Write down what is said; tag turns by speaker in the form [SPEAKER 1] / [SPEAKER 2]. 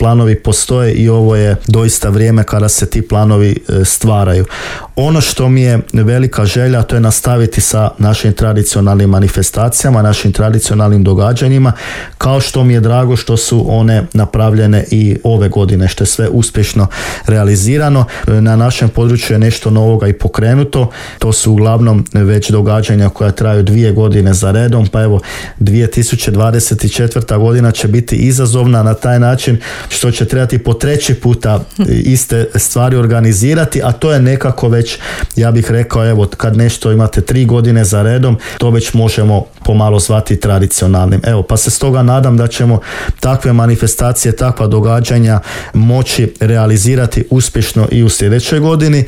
[SPEAKER 1] Planovi postoje i ovo je doista vrijeme kada se ti planovi stvaraju. Ono što mi je velika želja, to je nastaviti sa našim tradicionalnim manifestacijama, našim tradicionalnim događanjima, kao što mi je drago što su one napravljene i ove godine, što je sve uspješno realizirano. Na našem području je nešto novoga i pokrenuto. To su uglavnom već događanja koja traju 2 godine za redom, pa evo 2024. godina će biti izazovna na taj način što će trebati po 3. puta iste stvari organizirati, a to je nekako već, ja bih rekao, evo, kad nešto imate 3 godine za redom, to već možemo pomalo zvati tradicionalnim. Evo, pa se stoga nadam da ćemo takve manifestacije, takva događanja moći realizirati uspješno i u sljedećoj godini.